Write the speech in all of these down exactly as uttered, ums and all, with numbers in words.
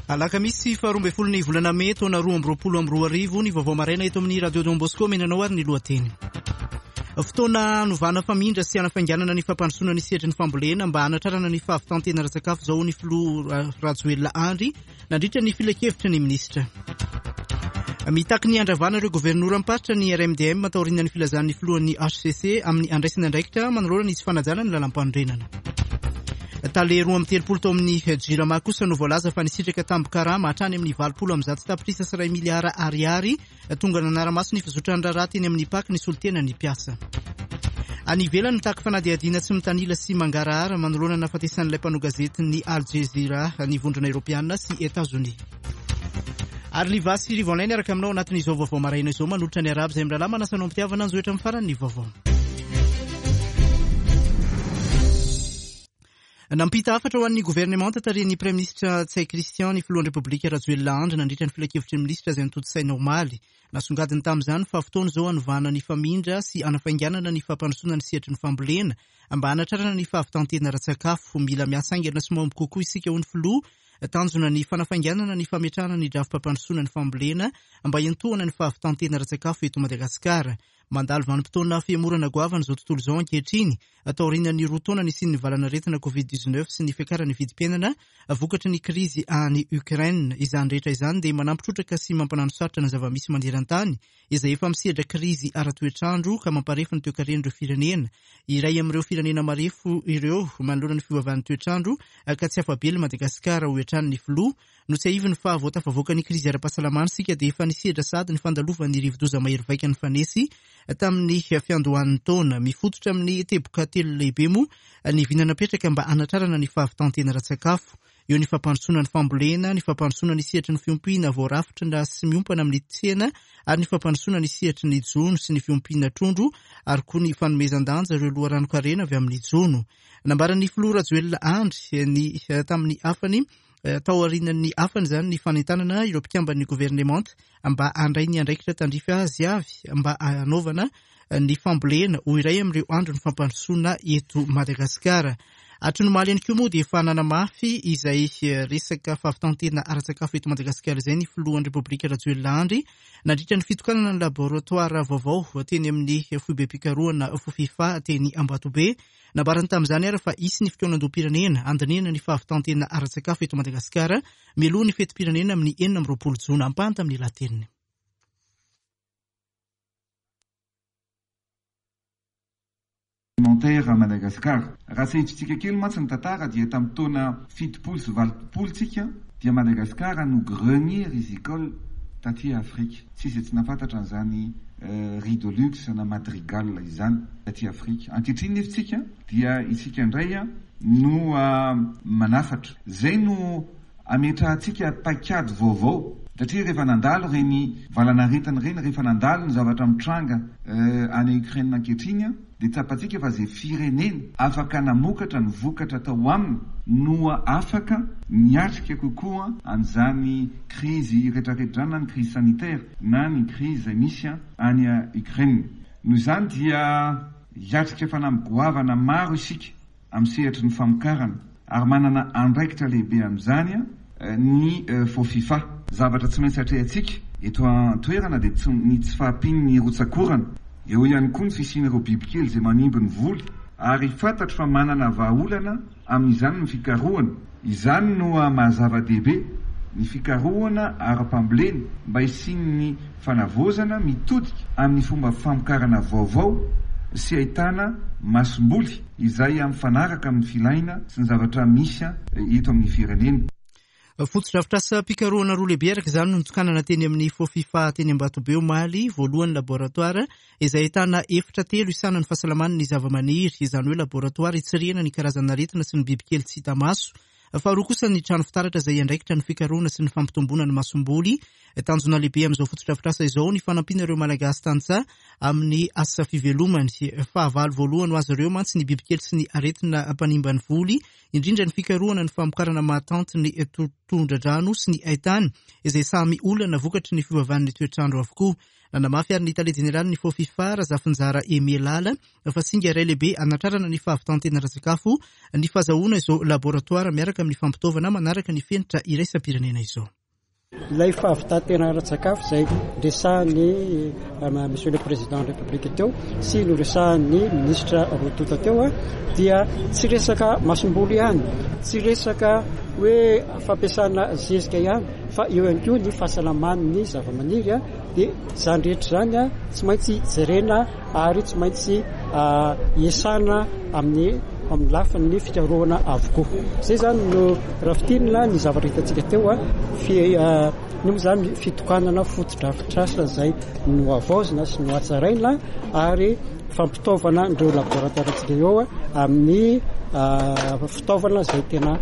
Alakamisy faharoa ambin'ny folo ny volana mey taona roa amby roapolo amby roa arivo ny vaovao maraina eto amin'ny Radio Don Bosco menanao ary ny lohateny. Fotoana hanovana famindra sy hanafainganana ny fampandrosoana ny sehatry ny fambolena mba hanatrarana ny fahavitantena ara-tsakafo izao ny filoha Rajoelina Andry nandritra ny filankevitry ny minisitra. Mitaky ny handravana ireo governoram-paritra ny R M D M taorian'ny filazan'ny filohan'ny H C C amin'ny andraisana andraikitra manoloana ny tsy fanajana ny lalam-panorenana. Tale roa amby telopolo tao amin'ny Jirama kosa no voalaza fa nisitraka tambin-karama hatrany amin'ny valopolo amby zato tapitrisa sy iray miliara ariary tonga nanara-maso ny fizotran'ny raharaha teny amin'ny P A C ny solontenan'ny mpiasa. Any ivelany mitaky fanadihadiana tsy mitanila sy mangarahara manoloana ny nahafatesan'ilay mpanao gazetin'ny Al Jazeera ny vondrona Eoropeana sy Etazonia. Ary Liva sy Rivo Online araka aminao anatin'izao vaovao maraina izao manolotra ny Arabo izay mirahalahy manasa anao am-pitiavana anjohitra amin'ny farany ny vaovao. Nampita hafatra ho an'ny governemanta tarihin'ny Praiminisitra Ntsay Christian ny filohan'ny Repoblika Rajoelina Andry nandritra ny filankevitry ny minisitra izay notontosaina omaly. Nasongadiny tamin'izany fa fotoana izao hanovana ny famindra sy hanafainganana ny fampandrosoana ny sehatry ny fambolena mba hanatrarana ny fahavitantena ara-tsakafo. Mila miasa haingana sy mahomby kokoa isika hoy ny filoha. Tanjona ny fanafainganana ny fametrahana ny drafi-pampandrosoana ny fambolena mba hiantohana ny fahavitantena ara-tsakafo eto Madagasikara. Mandalo vanim-potoana fihemorana goavana izao tontolo izao ankehitriny, taorian'ny roa taona nisian'ny valanaretina covid dix-neuf sy ny fiakaran'ny vidim-piainana vokatry ny krizy any Ukraine. Izany rehetra izany dia manampy trotraka sy mampanano sarotra ny zava-misy maneran-tany izay efa misedra krizy ara-toetrandro ka mamparefo ny toekaren'ireo firenena. Iray amin'ireo firenena marefo ireo manoloana ny fiovaovan'ny toetrandro ka tsy afa-bela Madagasikara hoy hatrany ny filoha. Notsiahiviny fa vao tafavoaka ny krizy ara-pahasalamana isika dia efa nisedra sady ny fandalovan'ny rivodoza mahery vaika nifanesy tamin'ny fiandohan'ny taona. Mifototra amin'ny teboka telo lehibe moa ny vina napetraka mba hanatrarana ny fahavitantena ara-tsakafo. Eo ny fampandrosoana ny fambolena, ny fampandrosoana ny sehatry ny fiompiana voarafitra sy miompana amin'ny tsena ary ny fampandrosoana ny sehatry ny jono sy ny fiompiana trondro ary koa ny fanomezan-danja ireo loharanon-karena avy amin'ny jono. Nambaran'ny filoha Rajoelina Andry ny tamin'ny hafany taorian'ny hafany izany ny fanentanana ireo mpikamban'ny governemanta mba handray ny andraikitra tandrify azy avy mba hanaovana ny fambolena ho iray amin'ireo andro ny fampandrosoana eto Madagasikara. Hatry ny omaly ihany koa moa dia efa nanamafy izay resaka fahavitantena ara-tsakafo eto Madagasikara izay ny filohan'ny Repoblika Rajoelina Andry nandritra ny fitokanana ny laboratoara vaovao teny amin'ny foibem-pikarohana Fofifa teny Ambatobe. Nambarany tamin'izany ary fa hisy ny fikaonandoham-pirenena handinihana ny fahavitantena ara-tsakafo eto Madagasikara mialoha ny fetim-pirenena amin'ny enina amby roapolo jona. Ampahany tamin'ny lahateniny. Alimentaire à Madagascar. Raha tsy hiditsika kely mantsy ny tantara dia tamin'ny taona fitopolo sy valopolo tsika dia Madagascar no grenier rizicole taty Afrika. Tsy izay tsy nahafantatra an'izany, euh, riz de luxe na madrigal izany taty Afrika. Ankehitriny nefa tsika dia isika indray a no, euh, manafatra. Izay no ametrahantsika paikady vaovao. Satria rehefa nandalo ireny valanaretina ireny, rehefa nandalo ny zavatra mitranga, euh, any Ukraine ankehitriny a, dia tsapantsika fa izay firenena afaka namokatra ny vokatra tao aminy no afaka miatrika kokoa an'izany krizy rehetrarehetra na ny krizy sanitaire na ny krizy izay misy any Ukraine. Noho izany dia hiatrika fanamby goavana maro isika amin'ny sehatry ny famokarana ary manana andraikitra lehibe amin'izany ny Fofifa. Zavatra tsy maintsy atrehantsika eto an-toerana dia tsy ny tsy fahampian'ny rotsakorana. Eo ihany koa ny fisian'ireo bibikely izay manimba ny voly ary fantatro fa manana vahaolana amin'izany ny fikarohana. Izany no maha-zava-dehibe ny fikarohana ara-pambolena mba hisian'ny fanavaozana mitodika amin'ny fomba famokarana vaovao sy ahitana masomboly izay mifanaraka amin'ny filaina sy ny zavatra misy eto amin'ny firenena. Fotodrafitrasam-pikarohana roa lehibe araka izany no notokanana teny amin'ny Fofifa teny Ambatobe omaly. Voalohany laboratoara izay ahitana efitra telo isanan'ny fahasalaman'ny zava-maniry, izany hoe laboratoara hitsirihana ny karazana aretina sy ny bibikely tsy hita maso. Faharoa kosa ny trano fitaratra izay andraikitra ny fikarohana sy ny fampitomboana ny masomboly. Tanjona lehibe amin'izao fotodrafitrasa izao ny fanampiana ireo Malagasy tantsaha amin'ny asa fivelomany. Fahavalo voalohany ho azy ireo mantsy ny bibikely sy ny aretina mpanimba ny voly, indrindra ny fikarohana ny famokarana mahatanty ny tondradrano sy ny haitany izay samy olana vokatry ny fiovaovan'ny toetrandro avokoa. Nanamafy ary ny tale jeneraly ny Fofifa, Razafinjara Emelala, fa singa iray lehibe anatrarana ny fahavitan-tena ara-tsakafo ny fahazahoana izao laboratoara miaraka amin'ny fampitaovana manaraka ny fenitra iraisam-pirenena izao. Ilay fahavitan-tena ara-tsakafo izay resahan'ny Monsieur le Président de la République teo sy noresahan'ny ministra roa tonta teo dia tsy resaka masomboly ihany, tsy resaka hoe fampiasana zezika ihany, fa eo ihany koa ny fahasalaman'ny zava-maniry. Dia izany rehetra izany tsy maintsy jerena ary tsy maintsy iasana amin'ny amin'ny lafiny fikarohana avokoa. Izay izany no raha fintinina ny zavatra hitantsika teo, ny moa izany fitokanana fotodrafitrasa izay nohavaozina sy nohatsaraina ary fampitaovana ireo laboratoarantsika eo amin'ny fitaovana izay tena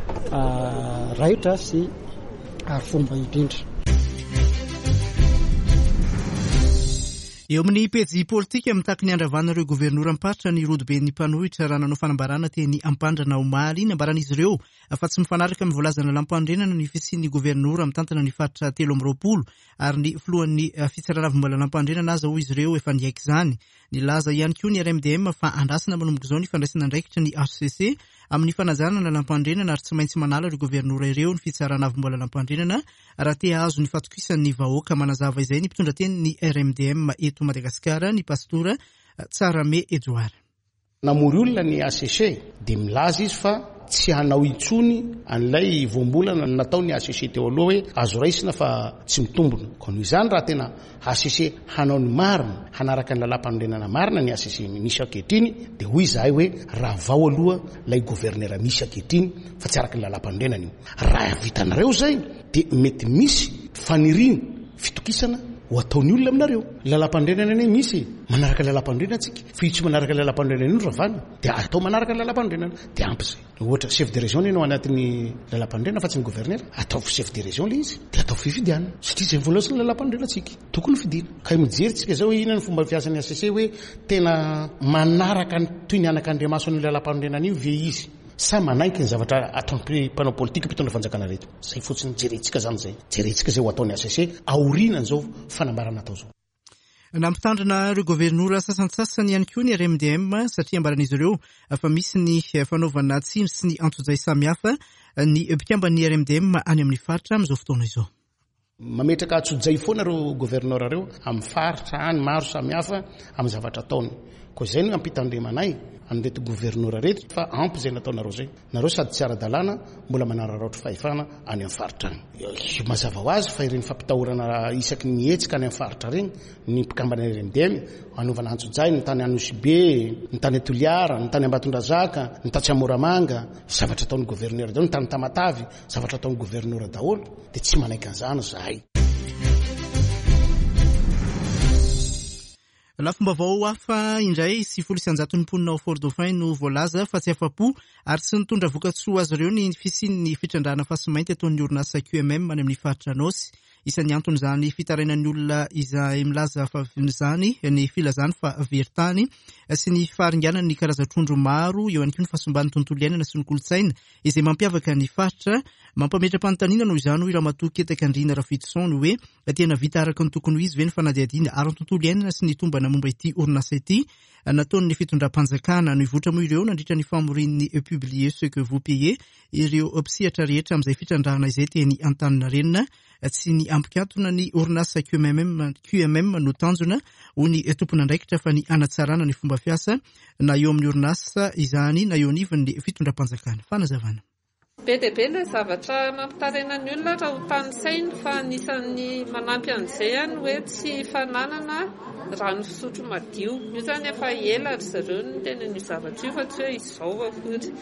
raitra sy fomba indrindra. Eo amin'ny pejy politika, mitaky ny andravana ireo governoram-paritra ny rodoben'ny mpanohitra raha nanao fanambarana teny Ampandrana omaly. Nambaran'izy ireo fa tsy mifanaraka amin'ny voalazan'ny lalàm-panorenana ny fisian'ny governora mitantana ny faritra telo amby roapolo ary ny filohan'ny fitsarana avo momba ny lalàm-panorenana aza hoy izy ireo efa niaiky izany. Nilaza ihany koa ny R M D M fa andrasana manomboka izao ny fandraisana andraikitra ny H C C amin'ny fanajana ny lalàm-panorenana ary tsy maintsy manala ireo governora ireo ny fitsarana avo momba ny lalàm-panorenana raha te hahazo ny fatokisan'ny vahoaka. Manazava izay ny mpitondra teny ny R M D M eto Madagasikara, ny pastora Tsarame Edouard. Namory olona ny H C C dia milaza izy fa tsy hanao intsony an'ilay voambolana natao ny H C C teo aloha hoe azo raisina fa tsy mitombona. Koa noho izany raha tena H C C hanao ny marina, hanaraka ny lalàm-panorenana marina ny H C C misy ankehitriny, dia hoy izahay hoe ravao aloha ilay governera misy ankehitriny fa tsy araka ny lalàm-panorenana io. Raha vitanareo izay dia mety misy faniriana fitokisana ho ataon'ny olona aminareo. Lalàm-panorenana anie misy, manaraka ny lalàm-panorenana tsika, fa io tsy manaraka ny lalàm-panorenana io no ravana, dia atao manaraka ny lalàm-panorenana dia ampy izay. Ohatra chef de région ianao anatin'ny lalàm-panorenana fa tsy ny gouverneur, ataovy chef de région ilay izy dia ataovy fifidianana satria izay voalaza ny lalàm-panorenana tsika, tokony fidiana. Ka mijery tsika izao hoe inona ny fomba fiasan'ny H C C hoe tena manaraka ny toy ny anakandriamaso ny lalàm-panorenana io ve izy sa manaiky ny zavatra ataon'ny mpanao politika mpitondra fanjakana reto. Izay fotsiny jerentsika izany izay. Jerentsika izay ho ataon'ny H C C aorianan'izao fanambarana atao izao. Nampitandrina ireo governora sasantsasany ihany koa ny R M D M satria ambaran'izy ireo fa misy ny fanaovana tsindry sy ny antsojay samihafa ny mpikamban'ny R M D M any amin'ny faritra amin'izao fotoana izao. Mametraka antsojay foana ireo governora ireo amin'ny faritra any maro samihafa amin'ny zavatra ataony. Koa izay no ampitandremanay an'ireto governora reto fa ampy izay nataonareo izay. Nareo sady tsy ara-dalàna mbola manararaotra fahefana any amin'ny faritra any. Mazava ho azy fa ireny fampitahorana isaky ny hetsika any amin'ny faritra ireny ny mpikambana R M D M anaovana antsojay ny tany Anosibe, ny tany Toliara, ny tany Ambatondrazaka, ny tatsy Amoramanga, zavatra ataon'ny governora daholo, ny tany Tamatavy, zavatra ataon'ny governora daholo, dia tsy manaiky an'izany izahay. Lafim-baovao hafa indray, sivifolo isan-jaton'ny mponina ao Fort Dauphin no voalaza fa tsy afa-po ary tsy nitondra vokatsoa azy ireo ny fisian'ny fitrandrahana fasimainty ataon'ny orinasa Q M M any amin'ny faritra Anôsy. Isan'ny anton'izany fitarainan'ny olona izay milaza fa izany ny filazany fa very tany sy ny faharinganan'ny karazan-trondro maro, eo ihany koa ny fahasimban'ny tontolo iainana sy ny kolontsaina izay mampiavaka ny faritra. Mampametra-panontaniana noho izany hoy Ramatoa Ketakandriana Rafitoson ny hoe tena vita araka ny tokony ho izy ve ny fanadihadiana ary ny tontolo iainana sy ny tombana momba ity orinasa ity nataon'ny fitondram-panjakana. Nivoitra moa ireo nandritra ny famorian'ny Publiez ce que vous payez ireo mpisehatra rehetra amin'izay fitrandrahana izay teny Antaninarenina. Tsy ny ampikatona ny orinasa Q M M, Q M M no tanjona ho ny tompon'andraikitra fa ny hanatsarana ny fomba fiasa na eo amin'ny orinasa izany na eo anivon'ny fitondram-panjakana. Fanazavana. Be dia be ilay zavatra mampitaraina ny olona raha ho tanisainy fa anisan'ny manampy an'izay ihany hoe tsy fananana rano fisotro madio. Io izany efa ela ry zareo no tena ny zavatra io fa tsy hoe izao akory.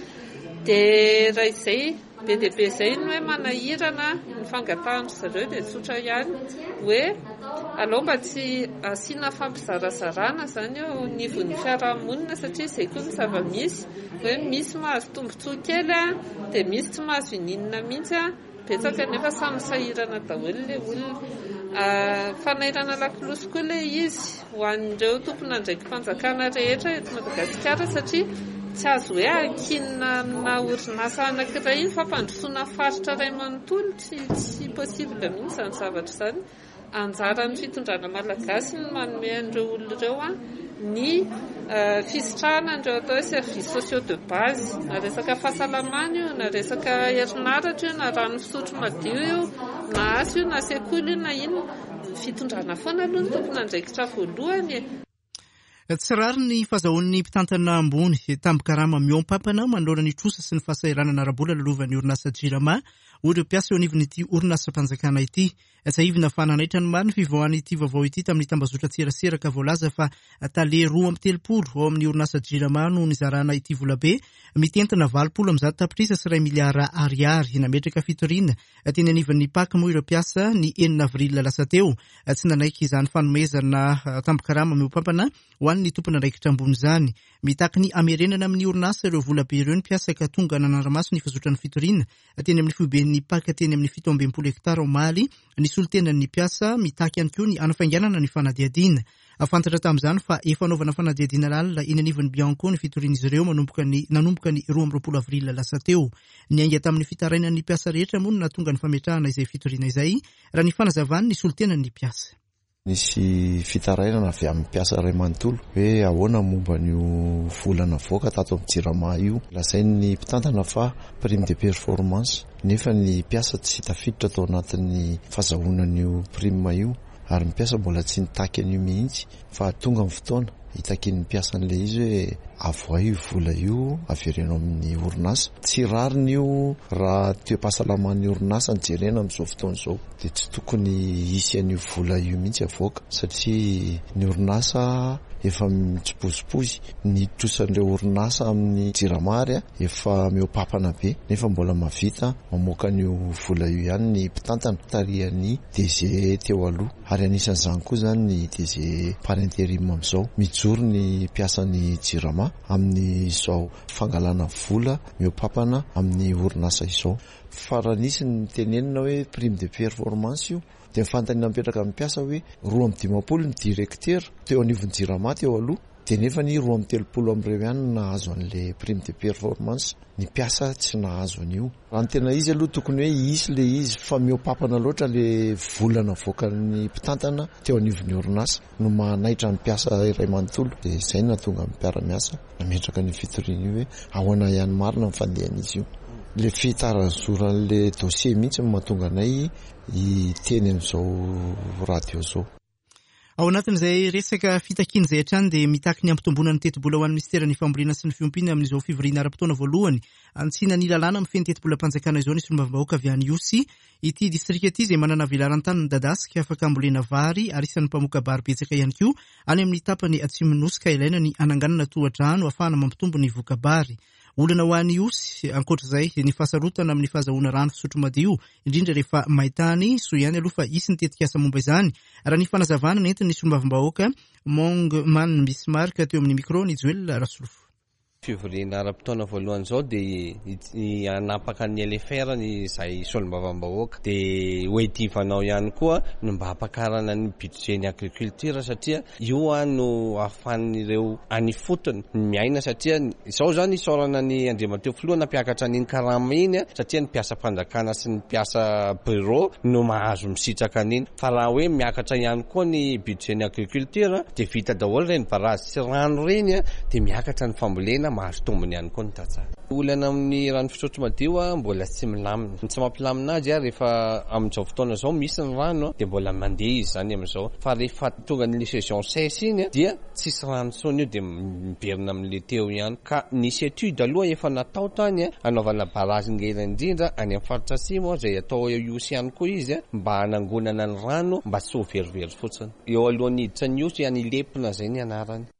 Dia raha izay be dia be izay no hoe manahirana ny fangatahan-dry zareo dia tsotra ihany hoe aleo mba tsy asiana fampizarazarana izany eo anivon'ny fiarahamonina satria izay koa ny zava-misy hoe misy mahazo tombontsoa kely a, dia misy tsy mahazo ininona mihitsy a, betsaka nefa samy sahirana daholo ilay olona. Fanairana lakolosy koa ilay izy ho an'ireo tompon'andraiki-panjakana rehetra eto Madagasikara satria tsy azo hoe ankinina amina orinasa anankiray iny fampandrosoana faritra iray manontolo, tsy, tsy possible mihitsy izany zavatra izany. Anjaran'ny fitondrana malagasy ny manome an'ireo olona ireo a ny fisitrahana an'ireo atao hoe services sociaux de base, na resaka fahasalamana io, na resaka herinaratra io, na rano fisotro madio io, na asa io, na sekoly io, na inona. Ny fitondrana foana aloha no tompon'andraikitra voalohany e. Tsy rariny ny fahazahoan'ny mpitantana ambony tambin-karama mihoam-pampana manoloana ny trosa sy ny fahasahiranana ara-bola lalovan'ny orinasa Jirama, hoy ireo mpiasa eo anivon'ity orinasam-panjakana ity. Tsiahivina fa nanaitra ny maro ny fivoahan'ity vaovao ity tamin'ny tambazotran-tserasera ka voalaza fa tale roa amby telopolo ao amin'ny orinasa Jirama no nizarana ity volabe mitentina valopolo amby zato tapitrisa sy iray miliara ariary. Nametraka fitoriana teny anivon'ny P A C moa ireo mpiasa ny enina avril lasa teo. Tsy nanaiky izany fanomezana tambin-karama mihoam-pampana ho an'ny tompon'andraikitra ambony izany. Mitaky ny hamerenana amin'ny orinasa ireo volabe ireo ny mpiasa ka tonga nanara-maso ny fizotran'ny fitoriana teny amin'ny foiben'ny P A C teny amin'ny fito amby enimpolo hektara omaly ny solontenan'ny mpiasa. Mitaky ihany koa ny hanafainganana ny fanadihadiana. Fantatra tamin'izany fa efa anaovana fanadihadiana lalina eny anivon'ny Bianco ny fitorian'izy ireo manomboka ny nanomboka ny roa amby roapolo avril lasa teo. Niainga tamin'ny fitarainan'ny mpiasa rehetra moa no nahatonga ny fametrahana izay fitoriana izay, raha ny fanazavany ny solontenan'ny mpiasa. Nisy fitarainana avy amin'ny mpiasa iray manontolo hoe ahoana momba an'io vola navoaka tato amin'ny Jirama io. Lazain'ny mpitantana fa prime de performance, nefa ny mpiasa tsy tafiditra tao anatin'ny fahazahoana an'io prime io, ary ny mpiasa mbola tsy nitaky an'io mihitsy, fa tonga amin'ny fotoana hitakian'ny mpiasa an'ilay izy hoe avoay io vola io, avereno amin'ny orinasa. Tsy rariny io raha toe-pahasalaman'ny orinasa ny jerena amin'izao fotoana izao, dia tsy tokony hisy an'io vola io mihitsy avoaka, satria ny orinasa efa mitsipozipozy, ny trosan'ireo orinasa amin'ny Jirama ary efa mihoam-pampana be, nefa mbola mahavita mamoaka an'io vola io ihany ny mpitantana tarihan'ny D G teo aloha, ary anisan'izany koa izany ny D G par intérim amin'izao. Mijoro ny mpiasan'ny Jirama amin'izao fangalana vola mihoam-pampana amin'ny orinasa izao. Fa raha nisy ny tenenina hoe prime de performance io, dia ny fanontaniana mipetraka amin'ny mpiasa hoe roa amby dimampolo ny directeur teo anivon'ny Jirama teo aloha, dia nefa ny roa amby telopolo amin'ireo ihany no nahazo an'le prime de performance, ny mpiasa tsy nahazo an'io. Raha ny tena izy aloha, tokony hoe hisy le izy, fa mihoam-pampana loatra le vola navoakan'ny mpitantana teo anivon'ny orinasa no mahanaitra ny mpiasa iray manontolo. Dia izay no nahatonga ny mpiara-miasa nametraka ny fitoriana io hoe ahoana ihany marina ny fandehan'izy io. Le fitarazoran'le dossier mihitsy no mahatonga anay hiteny amin'izao radio zao. Ao anatin'izay resaka fitakiana izay hatrany, dia mitaky ny hampitomboana ny tetibola ho an'ny ministeran'ny fambolena sy ny fiompiana amin'izao fivoriana ara-potoana voalohany hanitsiana ny lalàna mifehy ny tetibolam-panjakana izao ny solombavambahoaka avy any Ihosy. Ity distrika ity izay manana velaran-tany midadasika afaka ambolena vary ary isan'ny mpamoka-bary betsaka ihany koa any amin'ny tapany atsimon'ny Nosy, ka ilaina ny hananganana tohadrano ahafahana mampitombo ny voka-bary. Olana ho an'ny Ihosy ankoatra izay ny fahasarotana amin'ny fahazahoana rano fisotro madio, indrindra rehefa maintany. Soa ihany aloha fa hisy ny tetikasa momba izany, raha ny fanazavana nentin'ny solombavambahoaka Mongman Bismarck teo amin'ny micro ny Joel Rasolofo. Fivoriana ara-potoana voalohany zao dia hanapaka ny L F R ny zay solombavambahoaka, dia hoedivanao ihany koa no mba hampakarana ny budget ny agriculture, satria io a no ahafahan'ireo any fotony miaina, satria izao zany isaorana ny andriamatoa filoha nampiakatra an'iny karama iny a, satria ny mpiasa-panjakana sy ny mpiasa bureau no mahazo misitraka an'iny. Fa raha hoe miakatra ihany koa ny budget ny agriculture, dia vita daholo reny barazy sy rano reny a, dia miakatra ny fambolena, mahazo tombony ihany koa ny tantsaha. Olana amin'ny rano fisotro madio a mbola tsy milamina. Ny tsy mampilamina azy a, rehefa amin'izao fotoana zao misy ny rano dia mbola mandeha izy zany amin'izao, fa rehefa tonga ny saison sèche iny a, dia tsisy rano tsony io, dia miverina amin'le teo ihany. Ka nisy étude aloha efa natao tany a, anaovana barazy ngeza indrindra any amin'ny faritra atsimo zay atao Ihosy ihany koa izy a, mba hanangonana ny rano mba tsy ho verivery fotsiny eo alohan'ny hiditra ny Ihosy any Ilepina zay ny anarany.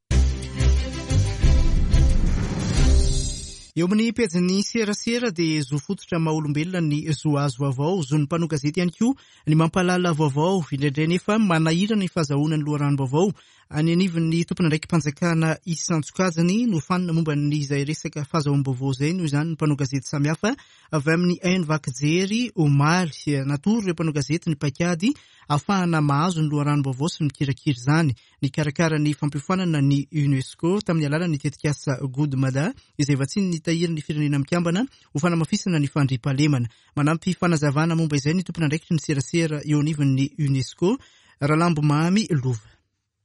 Eo amin'ny pejin'ny serasera, dia zo fototra maha olombelona ny zo azo vaovao, zon'ny mpanao gazety ihany koa ny mampahalala vaovao. Indraindray nefa manahirana ny fahazahoana ny loharanom-baovao any anivon'ny tompon'andraiki-panjakana isan-tsokajiny. No fanina momba ny izay resaka fahazahoam-baovao izay noho izany ny mpanao gazety samihafa avy amin'ny haino vaky jery omaly. Natoro ireo mpanao gazety ny paikady ahafahana mahazo ny loharanom-baovao sy mikirakira izany. Nikarakara ny fampiofanana ny UNESCO tamin'ny alalan'ny tetikasa Good Mada izay vatsian'ny tahirin'ny Firenena Mikambana ho fanamafisana ny fandriampahalemana. Manampy fanazavana momba izay ny tompon'andraikitry ny serasera eo anivon'ny UNESCO, Ralambomamy Lova.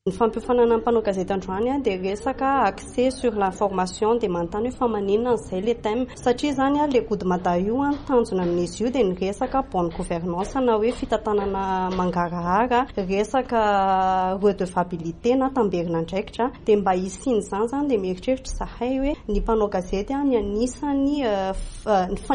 Ny fampiofanana ny mpanao gazety androany dia resaka accès sur l'information, dia manontany hoe fa maninona izay le thème, satria izany le Good Mada io tanjona amin'izy io dia ny resaka bonne gouvernance na hoe fitantanana mangarahara, resaka redevabilité na tamberina andraikitra. Dia mba hisian'izany izany dia mieritreritra izahay hoe ny mpanao gazety ny anisan'ny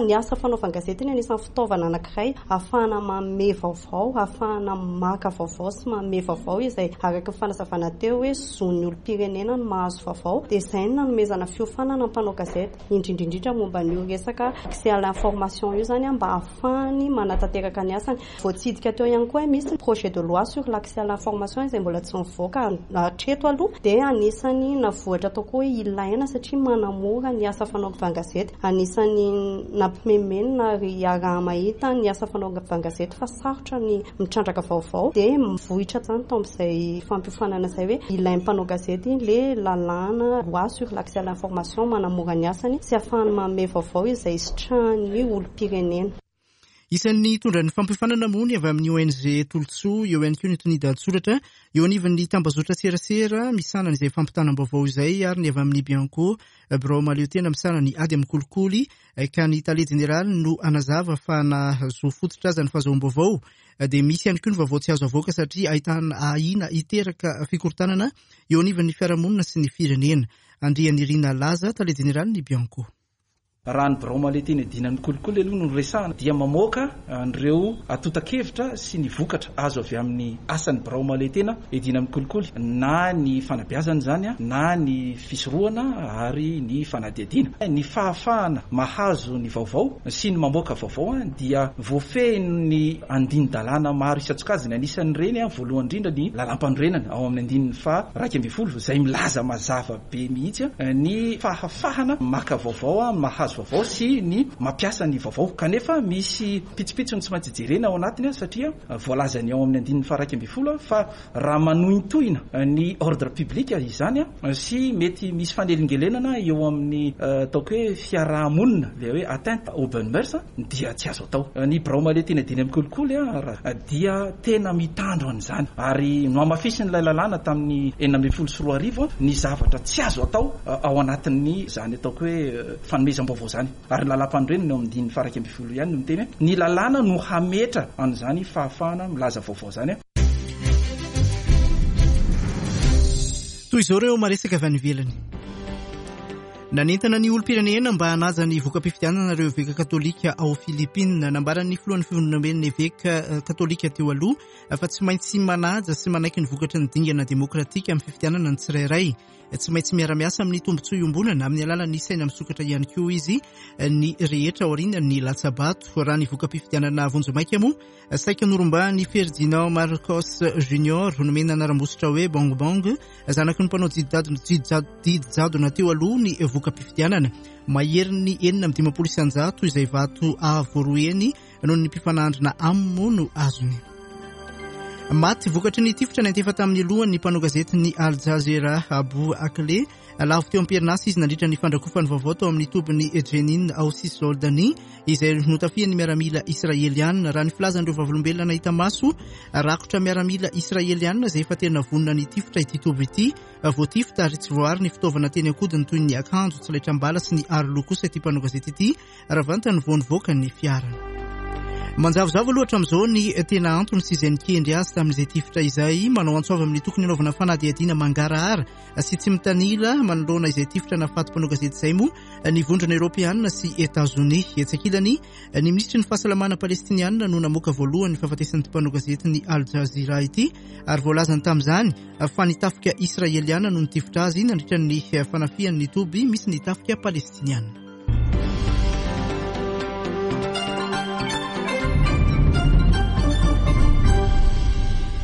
ny asa fanaovan-gazety ny anisan'ny fitaovana anankiray ahafahana manome vaovao, ahafahana maka vaovao sy manome vaovao izay araka ny fanazavana teo hoe zon'ny olom-pirenena no mahazo vaovao. Dia izay no nanomezana fiofanana mpanao gazety indrindra indrindra momba ny resaka accès à l'information io zany mba ahafahany manatanteraka ny asany. Voatsidika teo ihany koa misy projet de loi sur l'accès à l'information izay mbola tsy mivoaka hatreto aloha, dia anisany navoatra atao koa hoe ilaina satria manamora ny asa fanaovan-gazety. Anisany nampimemenina ary iaraha-mahita ny asa fanaovan-gazety fa sarotra ny mitrandraka vaovao, dia mivohitra zany tao amin'izay fampiofanana izay hoe ilain'ny mpanao gazety le lalàna loi sur l'accès à l'information manamora ny asany sy ahafahany manome vaovao izay sitrahan'ny olom-pirenena. Isan'ny nitondra ny fampiofanana moa ny avy amin'ny O N G Tolotsoa, eo ihany koa ny Tonida Tsoratra, eo anivon'ny tambazotra serasera misahana izay fampitanam-baovao izay, ary ny avy amin'ny Bianco, birao mahaleo tena misahana ny ady amin'ny kolikoly, ka ny tale jeneraly no anazava fa na zo fototra aza ny fahazoam-baovao dia misy ihany koa ny vaovao tsy azo avoaka satria ahitana ahiana hiteraka fikorontanana eo anivon'ny fiarahamonina sy ny firenena. Andrianirina Laza, tale jeneraly ny Bianco. Raha ny birao mahaleo tena iadiana ny kolikoly aloha no resahana, dia mamoaka an'ireo antontan-kevitra sy ny vokatra azo avy amin'ny asan'ny birao mahaleo tena iadiana amin'ny kolikoly, na ny fanabeazana izany, na ny fisorohana ary ny fanadihadiana. Ny fahafahana mahazo ny vaovao sy ny mamoaka vaovao dia voafehin'ny andinin-dalàna maro isan-tsokajiny. Anisan'ireny voalohany indrindra ny lalàm-panorenana ao amin'ny andininy faha iraika ambin'ny folo izay milaza mazava be mihitsy ny fahafahana maka vaovao, mahazo vaovao sy ny mampiasa ny vaovao. Kanefa misy pitsopitsony tsy maintsy jerena ao anatiny satria voalazany ao amin'ny andininy faha iraika ambin'ny folo fa raha manohintohina ny ordre public izany sy mety misy fanelingelenana eo amin'ny ataoko hoe fiarahamonina, ilay hoe atteinte aux bonnes mœurs, dia tsy azo atao. Ny birao mahaleo tena iadiana amin'ny kolikoly dia tena mitandro an'izany, ary nohamafisin'ilay lalàna tamin'ny enina ambin'ny folo sy roa arivo ny zavatra tsy azo atao ao anatin'ny izany ataoko hoe fanomezam-baovao izany. Ary ny lalàm-panorenana eo amin'ny andininy faha iraika ambin'ny folo ihany no miteny hoe ny lalàna no hametra an'izany fahafahana milaza vaovao izany. Toy izao ireo maresaka avy any ivelany. Nanentana ny olom-pirenena mba hanaja ny voka-pifidianana ireo eveka katolika ao Filipina. Nambaran'ny filohan'ny fivondronamben'ny eveka katolika teo aloha fa tsy maintsy manaja sy manaiky ny vokatry ny dingana demokratika amin'ny fifidianana ny tsirairay. Tsy maintsy miara-miasa amin'ny tombontsoa iombonana amin'ny alalan'ny saina misokatra ihany koa izy ny rehetra aorian'ny latsabato. Raha ny voka-pifidianana vonjimaika moa, saika norombahan'i Ferdinand Marcos Junior nomena anaram-bositra hoe Bong Bong, zanaky ny mpanao didy jadona teo aloha ny voka-pifidianana. Maherin'ny enina amby dimampolo isan-jato izay vato avo roa heny noho ny mpifanandrina aminy moa no azony. Maty vokatry ny tifitra niantefa tamin'ny lohan'ny mpanao gazetin'ny Al Jazeera Abu Akleh. Lavo teo am-perinasa izy nandritra ny fandrakofany vaovao tao amin'ny tobin'ny Jenin ao Cisjordanie izay notafihan'ny miaramila israelianina. Raha ny filazan'ireo vavolombelona nahita maso, rakotra miaramila israelianina izay efa tena vonona ny tifitra ity toby ity. Voatifitra ary tsy voaary ny fitaovana teny an-kodiny toy ny akanjo, tsy laitram-bala sy ny aroloha kosa ity mpanao gazety ity raha vantany vao nivoaka ny fiarany. Manjavozavo aloha hatramin'izao ny tena antony sy izay nikendry azy tamin'izay tifitra izay. Manao antso avy amin'ny tokony hanaovana fanadihadiana mangarahara sy tsy mitanila manoloana izay tifitra nahafaty mpanao gazety izay moa ny vondrona eoropeanina sy Etazonia. Etsy ankilany, ny minisitry ny fahasalamana palestinianina no namoaka voalohany ny fahafatesan'ny mpanao gazety ny Al Jazeera ity, ary voalazany tamin'izany fa ny tafika israeliana no nitifitra azy nandritra ny fanafihan'ny toby misy ny tafika palestiniana.